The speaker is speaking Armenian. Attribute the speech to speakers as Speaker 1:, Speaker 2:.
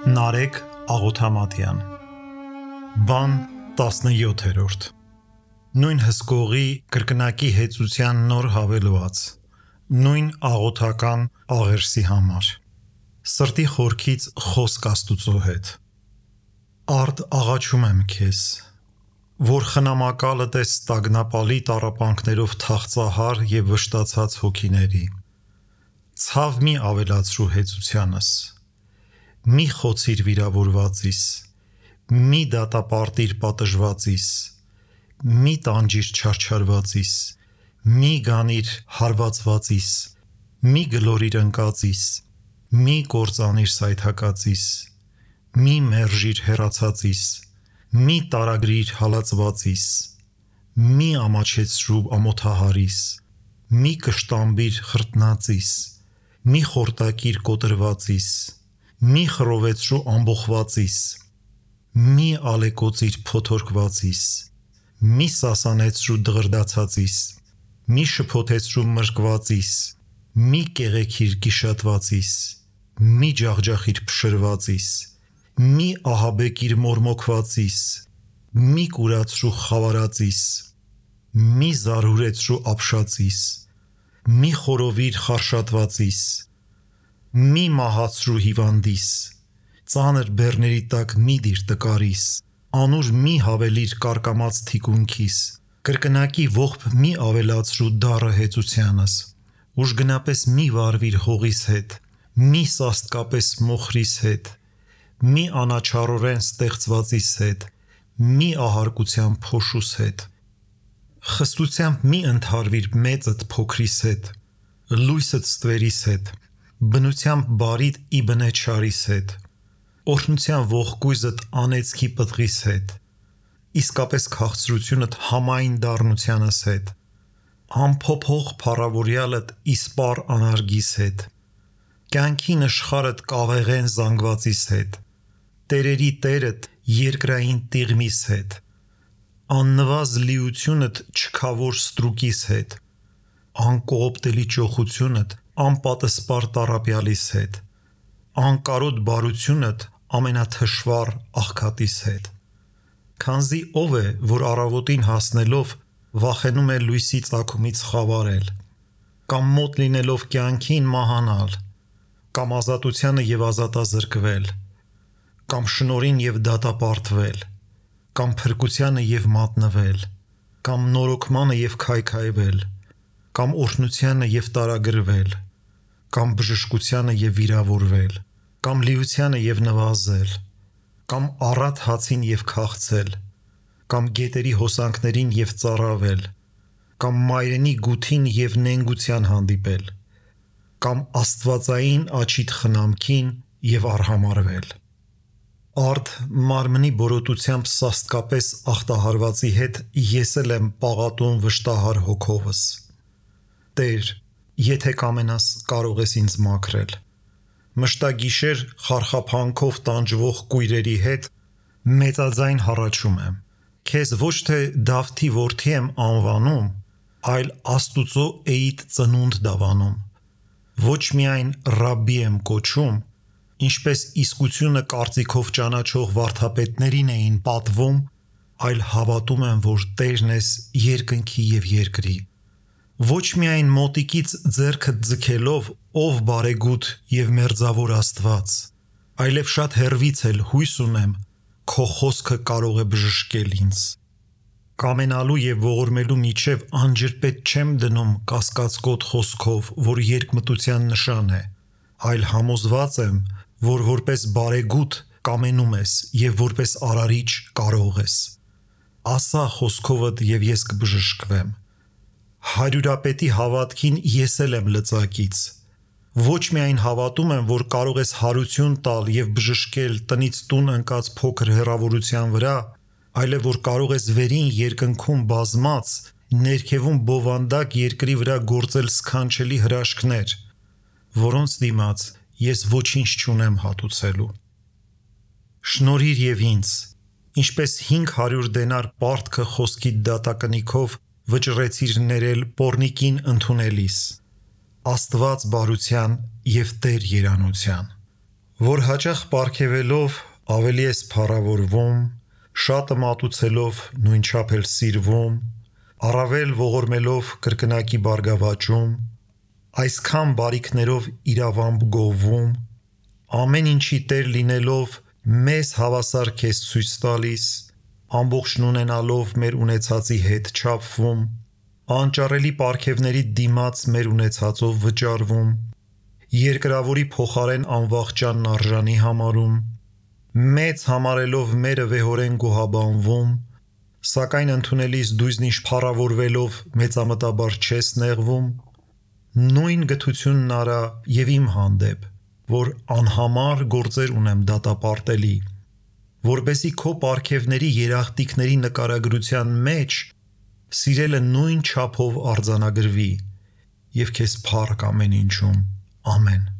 Speaker 1: Նարեկ Աղոթամատյան Բան 17-րդ Նույն հսկողի կրկնակի հեծության նոր հավելված Նույն աղոթական աղերսի համար Սրտի խորքից խոսք Աստուծո հետ Արդ աղաչում եմ քեզ Որ խնամակալդ ես տագնապալի տառապանքներով թախծահար և վշտացած հոգիների Ցավ մի ավելացրու հեծությանս Մի խոցիր վիրավորվածիս Մի դատապարտիր պատժվածիս Մի տանջիր չարչարվածիս Մի գանիր հարվածվածիս Մի գլորիր ընկածիս Մի կործանիր սայթակածիս Մի մերժիր հեռացածիս Մի տարագրիր հալածվածիս Մի ամաչեցրու ամոթահարիս Մի կշտամբիր խրտնածիս Մի խորտակիր կոտրվածիս Մի խռովեցրու ամբոխվածիս Մի ալեկոծիր փոթորկվածիս Մի սասանեցրու դղրդացածիս Մի շփոթեցրու մրկվածիս Մի կեղեքիր գիշատվածիս Մի ջախջախիր փշրվածիս Մի ահաբեկիր մորմոքվածիս Մի կուրացրու խավարածիս Մի զարհուրեցրու ապշածիս Մի խորովիր խարշատվածիս Մի մահացրու հիվանդիս Ծանր բեռների տակ մի դիր տկարիս Անուր մի հավելիր կարկամած թիկունքիս Կրկնակի ողբ մի ավելացրու դառը հեծությանս Ուժգնապես մի վարվիր հողիս հետ Մի սաստկապես մոխրիս հետ Մի անաչառորեն ստեղծվածիս հետ Մի ահարկության փոշուս հետ Խստությամբ մի ընդհարվիր մեծդ փոքրիս հետ Լույսդ ստվերիս հետ Բնությամբ բարիդ ի բնե չարիս հետ Օրհնության ողկույզդ անեծքի պտղիս հետ Իսկապես քաղցրությունդ համային դառնությանս հետ Անփոփոխ փառավորյալդ իսպառ անարգիս հետ Կյանքի նշխարդ կավեղեն զանգվածիս հետ Տերերի տերդ երկրային տիղմիս հետ Աննվազ լիությունդ չքավոր ստրուկիս հետ Անկողոպտելի ճոխությունդ անպատսպար տառապյալիս հետ Անկարոտ բարությունդ ամենաթշվառ աղքատիս հետ Քանզի ով է, որ առավոտին հասնելով վախենում է լույսի ծագումից խավարել Կամ մոտ լինելով կյանքին մահանալ Կամ ազատությանը և ազատազրկվել Կամ շնորհին և դատապարտվել Կամ փրկությանը և մատնվել Կամ նորոգմանը և քայքայվել Կամ օրհնությանը և տարագրվել Կամ բժշկությանը և վիրավորվել Կամ լիությանը և նվազել Կամ առատ հացին և քաղցել Կամ գետերի հոսանքներին և ծառավել Կամ մայրենի գութին և նենգության հանդիպել Կամ աստվածային աչիդ խնամքին և արհամարհվել Արդ մարմնի բորոտությամբ սաստկապես ախտահարվածի հետ ես էլ եմ պաղատում վշտահար հոգովս Տեր, եթե կամենաս կարող ես ինձ մաքրել Մշտագիշեր խարխափանքով տանջվող կույրերի հետ մեծաձայն հառաչում եմ Քեզ ոչ թե Դավթի որդի եմ անվանում, այլ Աստուծո էիդ ծնունդ դավանում Ոչ միայն Ռաբբի եմ կոչում, ինչպես իսկությունը կարծիքով ճանաչող վարդապետներին էին պատվում, այլ հավատում եմ, որ Տերն ես երկնքի և երկրի Ոչ միայն մոտիկից ձեռքդ ձգելով, ով բարեգութ և մերձավոր Աստված, այլև շատ հեռվից էլ հույս ունեմ, քո խոսքը կարող է բժշկել ինձ Կամենալու և ողորմելու միջև անջրպետ չեմ դնում կասկածկոտ խոսքով, որ երկմտության նշան է, այլ համոզված եմ, որ որպես բարեգութ կամենում ես և որպես արարիչ կարող ես Ասա խոսքովդ և ես կբժշկվեմ Հարյուրապետի հավատքին ես էլ եմ լծակից Ոչ միայն հավատում եմ, որ կարող ես հարություն տալ և բժշկել տնից տուն ընկած փոքր հեռավորության վրա, այլև որ կարող ես վերին երկնքում բազմած, ներքևում բովանդակ երկրի վրա գործել սքանչելի հրաշքներ, որոնց դիմաց ես ոչինչ չունեմ հատուցելու Շնորհիր և ինձ, ինչպես 500 դենար պարտքը խոսքիդ դատակնիքով վճռեցիր ներել պոռնիկին ընդունելիս Աստված բարության և Տեր երանության որ հաճախ պարգևելով ավելի ես փառավորվում, շատը մատուցելով նույնչափ էլ սիրվում, առավել ողորմելով կրկնակի բարգավաճում, այսքան բարիքներով իրավամբ գովվում, ամեն ինչի Տեր լինելով մեզ հավասար քեզ ցույց տալիս, ամբողջն ունենալով մեր ունեցածի հետ չափվում, անճարելի պարգևների դիմաց մեր ունեցածով վճարվում, երկրավորի փոխարեն անվախճանն արժանի համարում, մեծ համարելով մերը վեհորեն գոհաբանվում, սակայն ընդունելիս դույզնիշ փառավորվելով մեծամտաբար չես նեղվում, նույն գթությունն արա եւ իմ հանդեպ, որ անհամար գործեր ունեմ դատապարտելի, որբեսի քո պարգևների երախտիկների նկարագրության մեջ սիրելը նույն չափով արձանագրվի եւ քեզ փառք ամեն ինչում, ամեն։